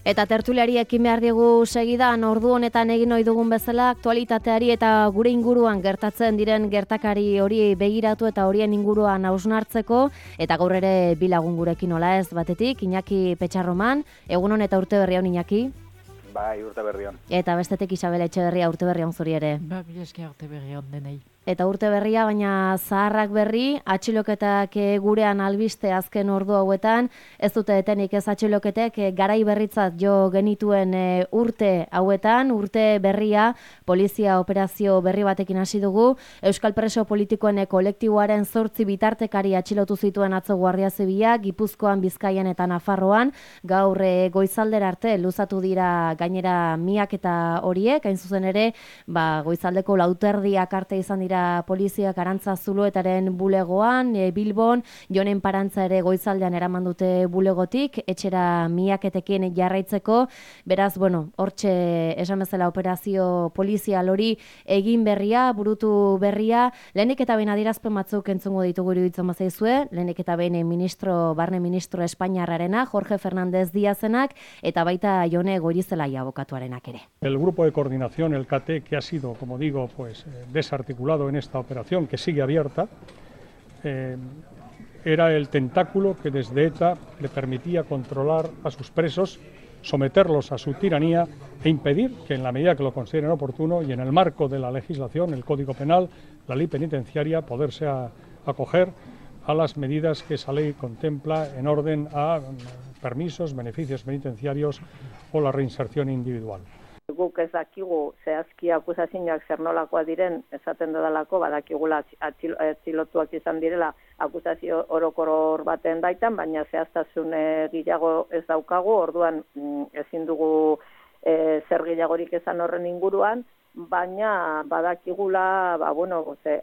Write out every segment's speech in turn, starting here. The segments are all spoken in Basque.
Eta tertuliari ekin behar digu segidan ordu honetan egin ohi dugun bezala aktualitateari eta gure inguruan gertatzen diren gertakari hori begiratu eta horien inguruan hausnartzeko eta gaur ere bi lagun gurekin hola ez batetik Iñaki Petxarroman, egunon eta urte berri on Iñaki. Bai, urte berri on. Eta bestetik Isabel Etxeberria urte berri on zuri ere. Ba, mila esker urte berri on denei. Eta urte berria, baina zaharrak berri, atxiloketak gurean albiste azken ordu hauetan, ez dute etenik ez atxiloketek garai berritzat jo genituen urte hauetan, urte berria, polizia operazio berri batekin hasi dugu, Euskal Preso Politikoen kolektiboaren 8 bitartekari atxilotu zituen atzo Guardia Zibila, Gipuzkoan, Bizkaian eta Nafarroan, gaur goizaldera arte luzatu dira gainera miaketa horiek, hain zuzen ere, goizaldeko lauterdiak arte izan dira poliziak Arantza Zuluetaren bulegoan, Bilbon, Jonen Parantza ere goizaldean eraman dute bulegotik, etxera miaketekin jarraitzeko, beraz, hortxe esan bezala operazio polizial hori egin berria, burutu berria, lehenik eta behin adierazpen batzuk entzungo ditugu iruditzen bazaizue, lehenik eta behin barne ministro Espainiarrarena, Jorge Fernández Díazenak, eta baita Jone Goirizelaia abokatuarenak ere. El grupo de coordinación, el CAT, que ha sido, como digo, desarticulado en esta operación, que sigue abierta, era el tentáculo que desde ETA le permitía controlar a sus presos, someterlos a su tiranía e impedir que en la medida que lo consideren oportuno y en el marco de la legislación, el Código Penal, la ley penitenciaria, poderse acoger a las medidas que esa ley contempla en orden a permisos, beneficios penitenciarios o la reinserción individual. Guk ez dakigu zehazki akusazioak zer nolakoak diren, esaten dudalako, badakigula atxilotuak izan direla akusazio orokor baten baitan, baina zehaztasun gehiago ez daukagu, orduan ezin dugu zer gehiagorik esan horren inguruan, baina badakigula,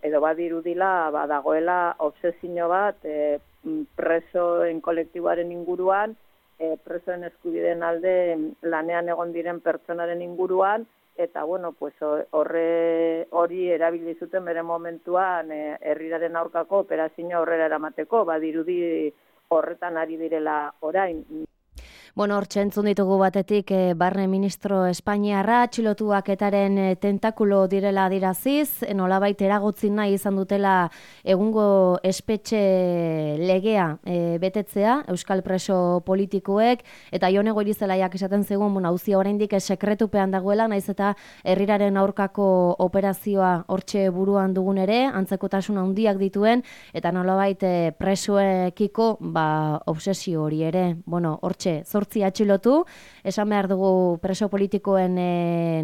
edo badirudila, badagoela obsesio bat presoen kolektiboaren inguruan, presoen eskubideen alde lanean egon diren pertsonaren inguruan, eta hori erabili zuten bere momentuan herriraren aurkako operazioa aurrera eramateko, badirudi horretan ari direla orain. Hortxe entzun ditugu batetik barne ministro Espainiarra, atxilotuak etaren tentakulo direla adiraziz, nolabait eragotzi nahi izan dutela egungo espetxe legea betetzea, Euskal Preso Politikoek, eta Jone Goirizelaiak esaten zegoen, auzia oraindik sekretupean dagoela, naiz eta herriraren aurkako operazioa hortxe buruan dugun ere, antzekotasun handiak dituen, eta nolabait presoekiko obsesio hori ere, hortxe, 8 atxilotu, esan behar dugu preso politikoen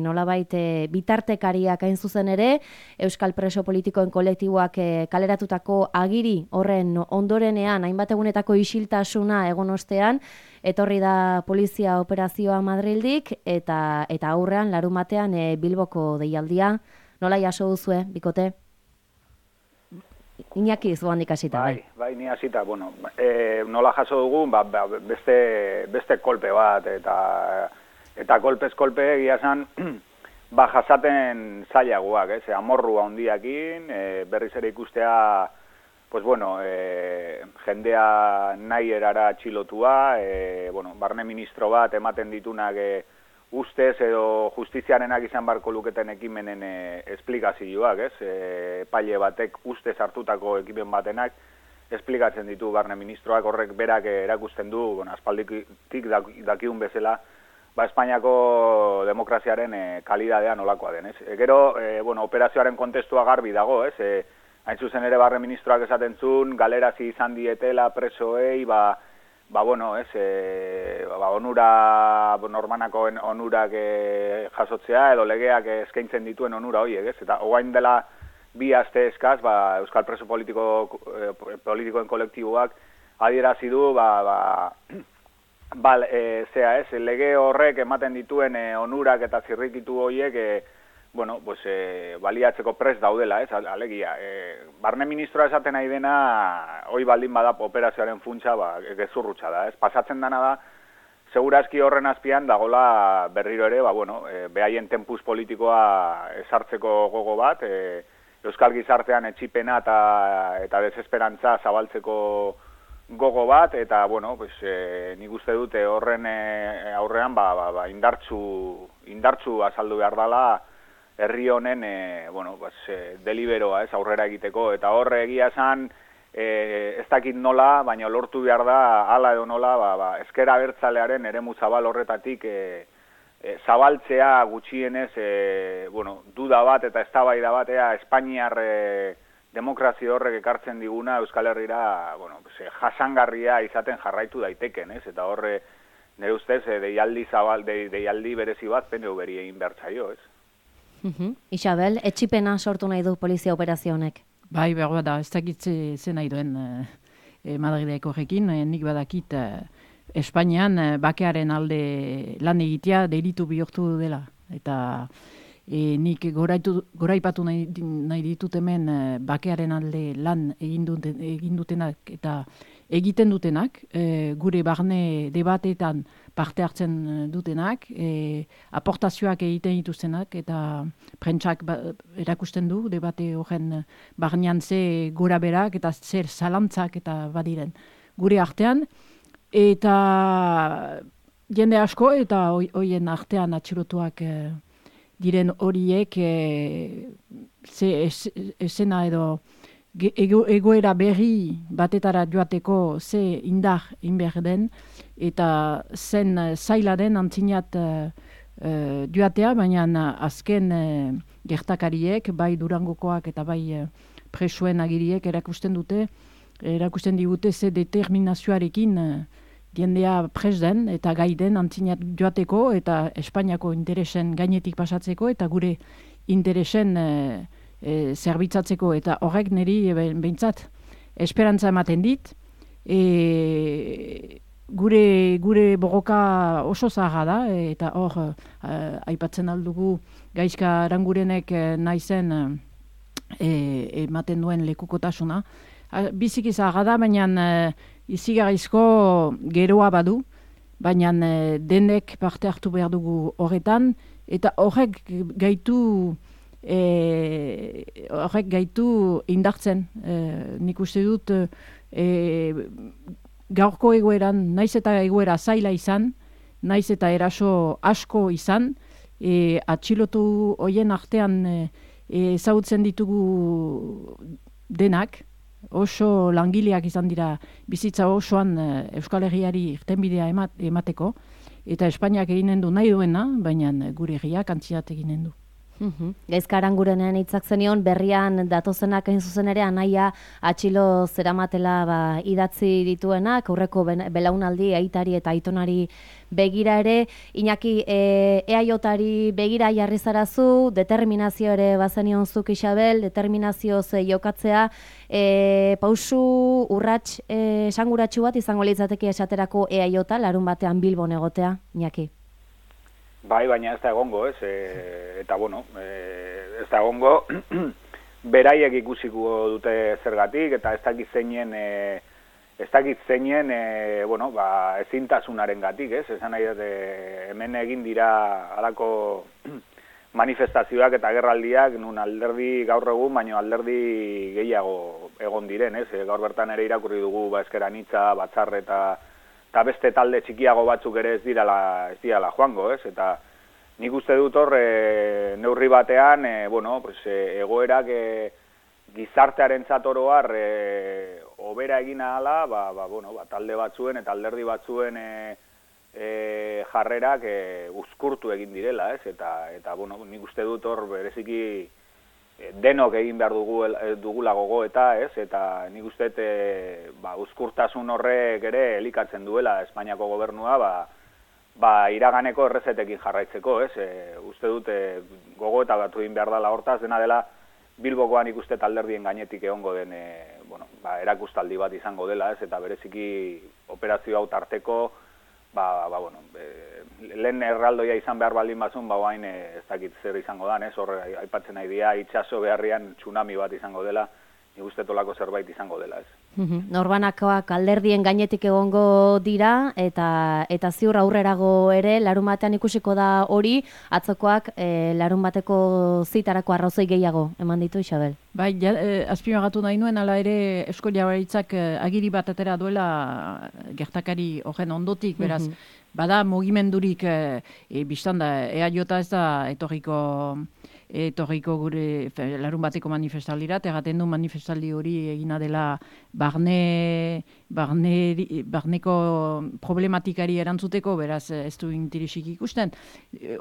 nolabait bitartekariak hain zuzen ere, Euskal Preso Politikoen kolektiboak kaleratutako agiri horren ondorenean, hainbat egunetako isiltasuna egon ostean, etorri da polizia operazioa Madrildik, eta aurrean larumatean Bilboko deialdia. Nola jaso duzue, bikote? Iñaki zu handik hasita, bai, ni hasita, nola jaso dugu, beste kolpe bat, eta kolpez-kolpe egia esan, jasaten zailagoak, amorrua handiakin, berriz ere ikustea, jendea nahi erara atxilotua, barne ministro bat ematen ditunak ustez edo justiziarenak izan barko luketen ekimenen esplikazioak, epaile batek ustez hartutako ekimen batenak esplikatzen ditu barne ministroak, horrek berak erakusten du, aspalditik dakiun bezala, Espainiako demokraziaren kalidadea nolakoa den, Gero, operazioaren kontestua garbi dago, hain zuzen ere barne ministroak esaten zuen, galerazi izan dietela presoei, onura, normanako onurak jasotzea, edo legeak eskaintzen dituen onura horiek, eta oain dela bi aste eskaz, Euskal Preso Politikoen kolektiboak adierazi du, lege horrek ematen dituen onurak eta zirrikitu horiek, baliatzeko prest daudela, alegia. Barne ministroa esaten nahi dena, hoi baldin bada operazioaren funtsa, gezurrutsa da, Pasatzen dana da, segurazki horren azpian dagola berriro ere, behaien tempus politikoa esartzeko gogo bat, Euskal gizartean etxipena eta desesperantza zabaltzeko gogo bat, eta, bueno, pues, nik uste dute horren aurrean, indartsu azaldu behar dela herri honen, bueno, pues, deliberoa, aurrera egiteko, eta horre egia esan, ez dakit nola, baina lortu behar da, hala edo nola, ezker abertzalearen eremu zabal horretatik, zabaltzea gutxienez, bueno, duda bat eta eztabaida bat, Espainiar demokrazia horrek ekartzen diguna Euskal Herrira, bueno, jasangarria izaten jarraitu daiteken, eta horre, nire ustez, deialdi berezi bat PNV-ri egin behar zaio, Isabel, etxipena sortu nahi du polizia operazio honek? Bai, behar da, ez dakit ze nahi duen Madrileko horrekin, nik badakit Espainian bakearen alde lan egitea delitu bihurtu dela. Eta nik goraipatu nahi ditut hemen bakearen alde lan egin dutenak eta egiten dutenak, gure barne debateetan parte hartzen dutenak, aportazioak egiten dituztenak, eta prentsak erakusten du debate horren barnean ze gora berak eta zer zalantzak eta badiren gure artean, eta jende asko eta hoien artean atxilotuak diren horiek esena edo egoera berri batetara joateko ze indar inber den, eta zen zaila den antzinat joatea, baina azken gertakariek, bai Durangokoak eta bai presuen agiriek erakusten digute ze determinazioarekin jendea pres den eta gai den antzinat joateko eta Espainiako interesen gainetik pasatzeko eta gure interesen zerbitzatzeko, eta horrek niri behintzat esperantza ematen dit. Gure borroka oso zaharra da, eta hor aipatzen aldugu Gaizka Arangurenek naizen ematen duen lekukotasuna. Biziki zaharra da, baina izigarrizko geroa badu, baina denek parte hartu behar dugu horretan, eta horrek gaitu indartzen. Nik uste dut gaurko egoeran, naiz eta egoera zaila izan, naiz eta eraso asko izan, atxilotu hoien artean ezagutzen ditugu denak, oso langileak izan dira bizitza osoan Euskal Herriari irtenbidea emateko, eta Espainiak eginen du nahi duena, baina gure herriak antziat eginen du. Gaizka Arangurenean hitzak zenion, berrian datozenak hain zuzen ere anaia atxilo zeramatela idatzi dituenak, aurreko belaunaldi aitari eta aitonari begira ere. Iñaki, EAJ-ari begira jarri zarazu, determinazio ere bazenion zuk, Isabel, determinazioz jokatzea, pausu urrats esanguratsu bat izango litzateke esaterako EAJ larun batean Bilbon egotea, Iñaki? Bai, baina ez da egongo, eta bueno, ez da egongo, beraiek ikusiko dute zergatik, eta ez dakit zeinen, bueno, ezintasunaren gatik, esan nahi dut, hemen egin dira halako manifestazioak eta gerraldiak, nun alderdi gaur egun, baino alderdi gehiago egon diren, gaur bertan ere irakurri dugu, Ezker Anitza, Batzar eta beste talde txikiago batzuk ere ez dirala joango, eta nik uste dut hor neurri batean, bueno, pues, egoerak gizartearen zatoroar hobera egin ahala, bueno, talde batzuen eta alderdi batzuen jarrerak uzkurtu egin direla, eta bueno, nik uste dut hor bereziki denok egin behar dugula gogoeta, eta nik uste uzkurtasun horrek ere elikatzen duela Espainiako gobernua, iraganeko errezetekin jarraitzeko, uste dut gogoeta batu egin behar dela hortaz, dena dela Bilbokoan ikuste alderdien gainetik egongo den erakustaldi bat izango dela, eta bereziki operazio hau tarteko, bueno, lehen erraldoia izan behar baldin bazun, hain ez dakit zer izango dan, horre aipatzen nahi dira, itxaso beharrian tsunami bat izango dela, nik uste tolako zerbait izango dela, ez. Norbanakoak alderdien gainetik egongo dira, eta ziur aurrerago ere, larunbatean ikusiko da hori, atzokoak larunbateko zitarako arrazoi gehiago, eman ditu, Isabel? Bai, azpimagatu nahi nuen, ala ere Eusko Jaurlaritzak agiri bat atera duela gertakari horren ondotik, beraz, bada mugimendurik biztan da, EAJ ez da etorriko gure larun bateko manifestaldira, egaten du manifestaldi hori egina dela barneko problematikari erantzuteko, beraz ez du interesik ikusten.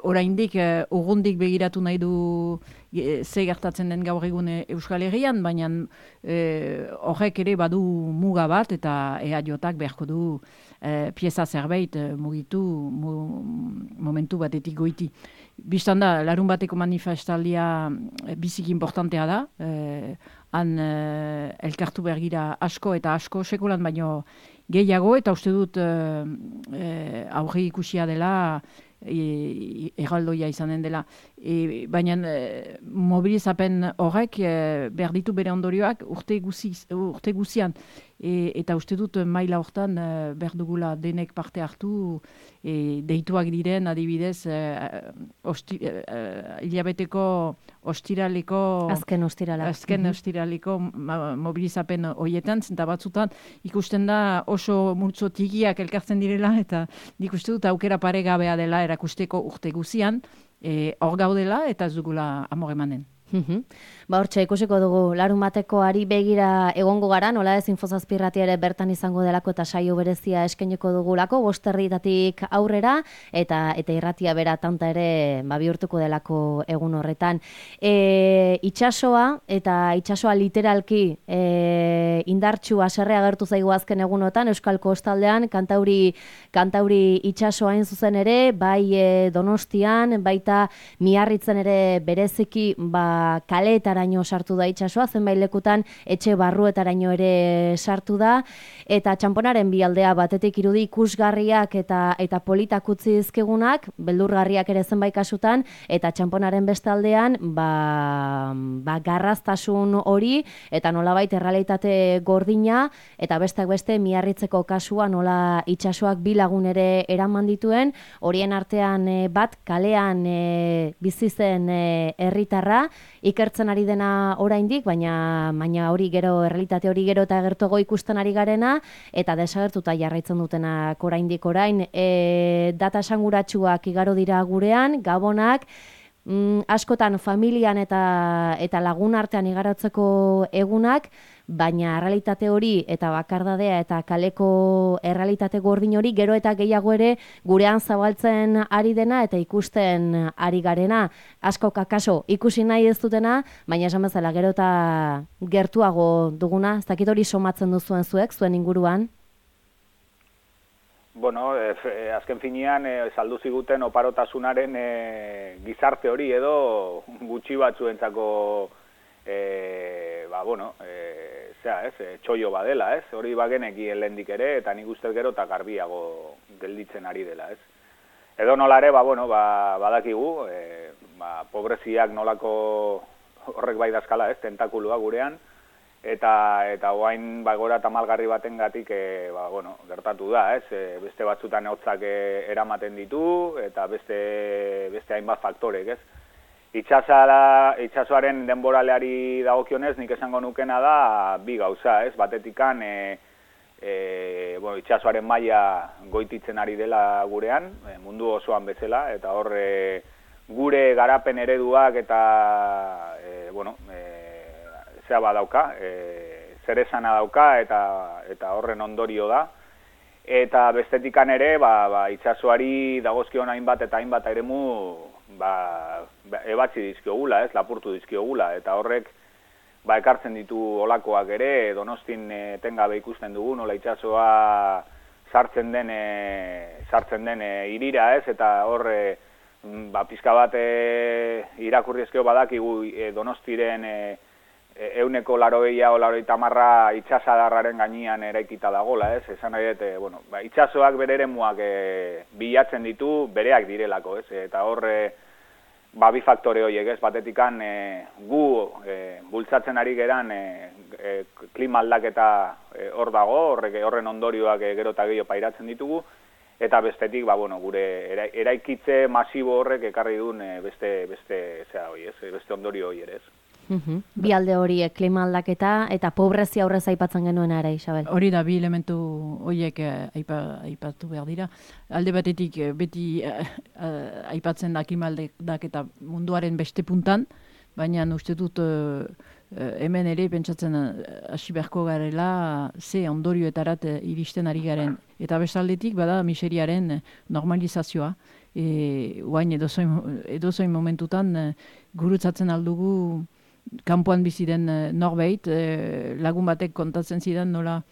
Oraindik urrundik begiratu nahi du ze gertatzen den gaur egun Euskal Herrian, baina horrek ere badu muga bat, eta EAJak beharko du pieza zerbait mugitu momentu batetik goiti. Bistan da, larun bateko manifestaldia biziki importantea da, han elkartu behar gira asko eta asko sekulan baino gehiago, eta uste dut aurre ikusia dela, erraldoia izanen dela. Baina mobilizapen horrek behar ditu bere ondorioak urte guzian. Eta uste dut maila hortan behar dugula denek parte hartu, deituak diren adibidez hilabeteko ostiraleko azken ostiraleko mobilizapen horietan, zenta batzutan ikusten da oso multzo tigiak elkartzen direla, eta nik uste dut aukera paregabea dela erakusteko urte guzian, hor gaudela eta ez dugula amore emanen. Hortxe, ikusiko dugu larun batekoari begira egongo gara, nola ez Infozazpirratia ere bertan izango delako eta saio berezia eskainiko dugulako, 5:00 aurrera, eta irratia bera tanta ere bihurtuko delako egun horretan. Itsasoa, eta itsasoa literalki indartsu haserre agertu zaigu azken egunotan, Euskal Kostaldean, kantauri itsasoa hain zuzen ere, bai Donostian, baita Miarritzen ere bereziki kaleetaraino sartu da itsasoa, zenbait lekutan etxe barruetaraino ere sartu da, eta txanponaren bi aldea batetik irudi ikusgarriak eta politak utzi dizkigunak, beldurgarriak ere zenbait kasutan, eta txanponaren beste aldean garraztasun hori, eta nolabait errealitate gordina, eta besteak beste Miarritzeko kasua nola itsasoak bi lagun ere eraman dituen, horien artean bat kalean bizi zen herritarra, ikertzen ari dena oraindik, baina hori gero, errealitate hori gero eta gertuago ikusten ari garena, eta desagertuta jarraitzen dutenak oraindik orain. Data esanguratsuak igaro dira gurean, gabonak, askotan familian eta lagun artean igarotzeko egunak, baina errealitate hori eta bakardadea eta kaleko errealitate gordin hori gero eta gehiago ere gurean zabaltzen ari dena eta ikusten ari garena. Asko kakaso ikusi nahi ez dutena, baina esan bezala gero eta gertuago duguna, ez dakit hori somatzen duzuen zuek, zuen inguruan? Bueno, azken finean saldu ziguten oparotasunaren gizarte hori edo gutxi batzuentzako txoio badela, ez? Hori bageneki helendik ere, eta nik uste gero eta garbiago gelditzen ari dela, ez? Edo nola ere, badakigu, pobreziak nolako horrek bai dazkala, ez? Tentakulua gurean, eta oain gora tamalgarri baten gatik, gertatu da, ez? Beste batzutan hotzak eramaten ditu, eta beste hainbat faktorek, ez? Itsasoaren denboraleari dagokionez, nik esango nukena da bi gauza, ez? Batetikan itsasoaren maila goititzen ari dela gurean, mundu osoan bezala, eta hor gure garapen ereduak eta zer esana dauka eta horren ondorio da. Eta bestetikan ere, itsasoari dagozkion hainbat eta hainbat eremu ebatzi dizkiogula, ez, lapurtu dizkiogula, eta horrek ekartzen ditu olakoak ere, Donostin etengabe ikusten dugu, nola itsasoa sartzen den irira, ez, eta hor pizka bat irakurri ezkeo badakigu Donostiren 180 o 180 itsasadarraren gainean eraikita dagola, ez? Esan nahi dut, itsasoak bere eremuak bilatzen ditu bereak direlako, ez? Eta hor bi faktore horiek, ez, batetikan gu bultzatzen ari geran klima aldaketa hor dago, horren ondorioak gero eta gehiago pairatzen ditugu, eta bestetik, gure eraikitze masibo horrek ekarri duen beste ondorio hori ere, ez. Bi alde horiek, klima aldaketa eta pobrezia aurrez aipatzen genuen ere, Isabel. Hori da, bi elementu horiek aipatu behar dira. Alde batetik beti aipatzen da klima aldaketa munduaren beste puntan, baina uste dut hemen ere pentsatzen hasi beharko garela ze ondorioetarat iristen ari garen. Eta bestaldetik bada miseriaren normalizazioa. Oain edozoin momentutan gurutzatzen aldugu kanpoan bizi den norbait, lagun batek kontatzen zidan nola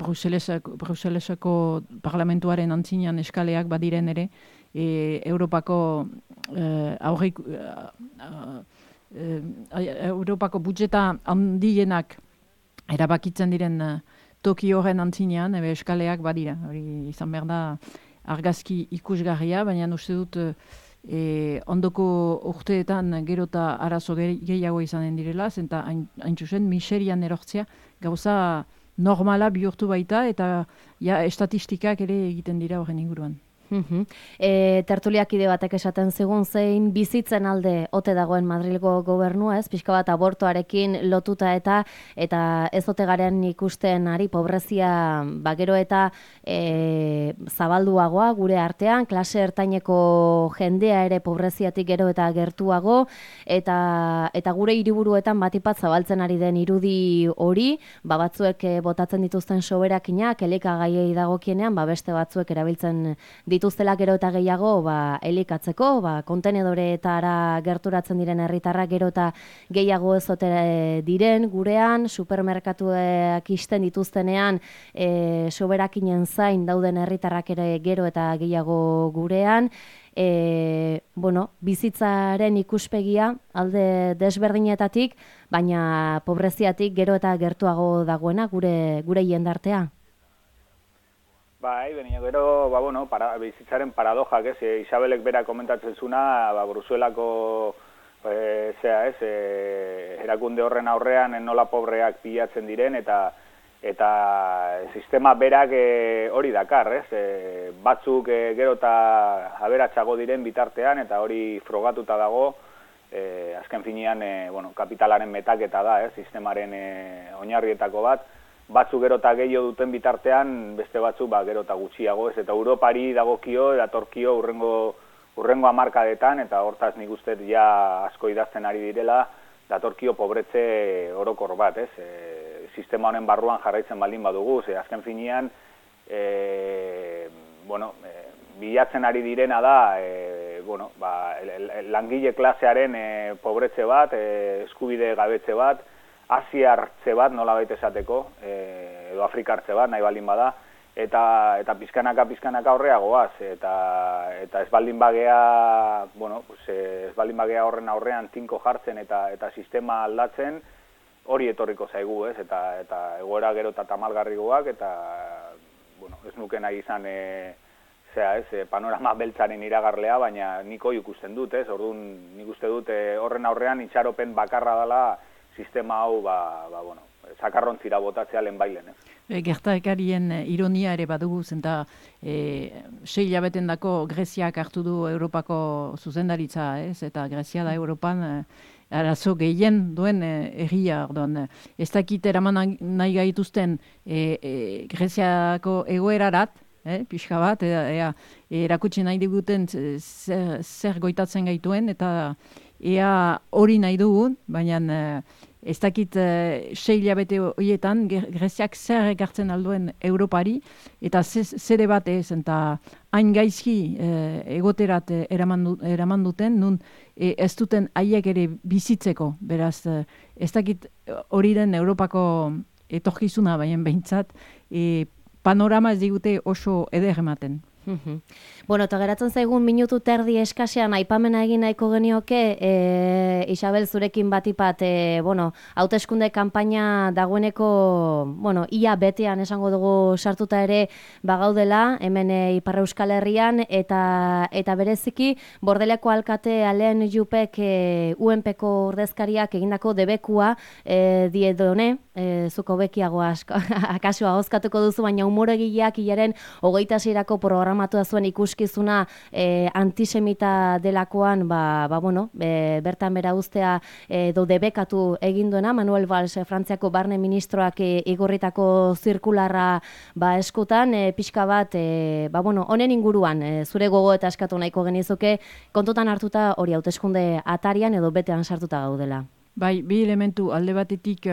Bruselesako parlamentuaren antzinean eskaleak badiren ere, Europako budjeta handienak erabakitzen diren toki horren antzinean, eskaleak badira. Hori izan behar da argazki ikusgarria, baina uste dut ondoko urteetan gero eta arazo gehiago izanen direla, eta hain zuzen miserian erortzea gauza normala bihurtu baita, eta estatistikak ere egiten dira horren inguruan. Tertuliakide batek esaten zigun zein bizitzen alde ote dagoen Madrilgo gobernua, ez? Pixka bat abortoarekin lotuta eta ez ote garen ikusten ari pobrezia gero eta zabalduagoa gure artean, klase ertaineko jendea ere pobreziatik gero eta gertuago, eta gure hiriburuetan batipat zabaltzen ari den irudi hori, batzuek botatzen dituzten soberakinak, elikagaiei dagokienean, beste batzuek erabiltzen dituztela gero eta gehiago elikatzeko, kontenedoreetara gerturatzen diren herritarrak gero eta gehiago ezote diren gurean, supermerkatuak isten dituztenean soberakinen zain dauden herritarrak ere gero eta gehiago gurean, bizitzaren ikuspegia alde desberdinetatik, baina pobreziatik gero eta gertuago dagoena gure jendartea. Baina gero, bizitzaren paradojak, Isabelek bera komentatzen zuna, Bruselako erakunde horren aurrean nola pobreak pilatzen diren, eta sistema berak hori dakar, batzuk gero eta aberatsago diren bitartean, eta hori frogatuta dago, azken finean, kapitalaren metaketa da, sistemaren oinarrietako bat, batzuk gero eta gehiago duten bitartean, beste batzuk gero eta gutxiago, eta Europari dagokio, datorkio urrengo hamarkadetan, eta hortaz nik uste asko idazten ari direla, datorkio pobretze orokor bat, sistema honen barruan jarraitzen baldin badugu, azken finean, bilatzen ari direna da, langile klasearen pobretze bat, eskubide gabetze bat, asiartze bat, nola baita esateko, edo afrikartze bat, nahi baldin bada, eta pizkanaka horreagoaz, eta ez baldin bagea, horren aurrean tinko jartzen eta sistema aldatzen, hori etorriko zaigu, eta egoera gero eta tamalgarrigoak, eta ez nuke nahi izan panorama beltzaren iragarlea, baina nik hori ikusten dut, orduan nik uste dut horren aurrean itxaropen bakarra dela sistema hau, zakarrontzira botatzea lehenbailen. Gertakarien ironia ere badugu, zenta 6 hilabetendako Greziak hartu du Europako zuzendaritza, eta Grezia da Europan arazo gehien duen herria, orduan. Ez dakit eraman nahi gaituzten Greziako egoerarat, pixka bat, erakutsi nahi diguten zer goitatzen gaituen, eta ea hori nahi dugun, baina ez dakit 6 hilabete horietan Greziak zer ekartzen alduen Europari, eta zede bat eta hain gaizki egoterat eraman duten, nun ez duten haiek ere bizitzeko, beraz, ez dakit hori den Europako etorkizuna, baina behintzat, panorama ez digute oso eder ematen. Bueno, eta geratzen zaigun minutu terdi eskasean aipamena egin nahiko genioke, Isabel, zurekin batipat, hauteskunde kanpaina dagoeneko, ia betean esango dugu sartuta ere bagaudela, hemen Ipar Euskal Herrian, eta bereziki, Bordeleko alkate Alen Jupek UNPko ordezkariak egindako debekua diedone, zuko bekiago akasua hozkatuko duzu, baina humoregileak hilaren 26erako programatua zuen ikuskizuna antisemita delakoan, bertan bera uztea edo debekatu egin duena, Manuel Valls, Frantziako barne ministroak igorritako zirkularra eskutan, pixka bat, honen inguruan, zure gogo eta eskatu nahiko genizuke, kontutan hartuta hori hauteskunde atarian edo betean sartuta gaudela. Bai, bi elementu alde batetik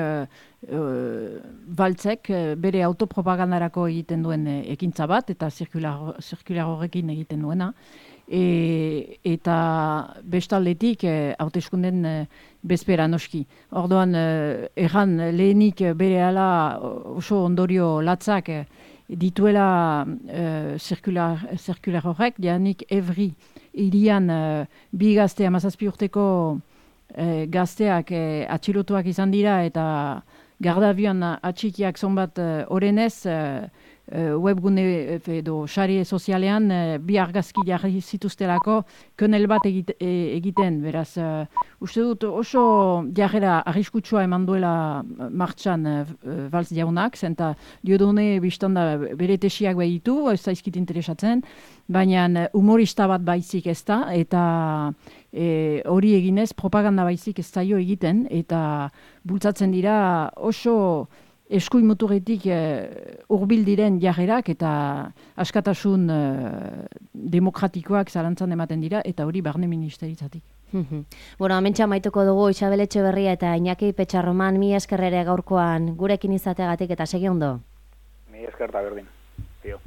Valtzek bere autopropagandarako egiten duen ekintza bat, eta zirkular horrekin egiten duena, eta bestaldetik hauteskunden bezpera noski. Orduan, erran lehenik bere ala oso ondorio latzak dituela zirkular horrek, janik Evri irian bi gazte 17 urteko gazteak atxilotuak izan dira eta gardabion atxikiak zonbat orenez webgune edo sare sozialean bi argazki jarri zituztelako könel bat egiten, beraz uste dut oso jarrera arriskutsua eman duela martxan Valls jaunak, zenta Diodone biztanda bere tesiak behitu, ez zaizkit interesatzen, baina humorista bat baizik ez da, eta hori eginez propaganda baizik ez zaio egiten, eta bultzatzen dira oso eskuin muturretik hurbil diren jarrerak eta askatasun demokratikoak zalantzan ematen dira, eta hori barne ministeritzatik. Hementxe amaituko dugu Isabel Etxeberria eta Iñaki Petxarroman, mi eskerrere gaurkoan gurekin izateagatik eta segi ondo. Mi esker da berdin. Tio.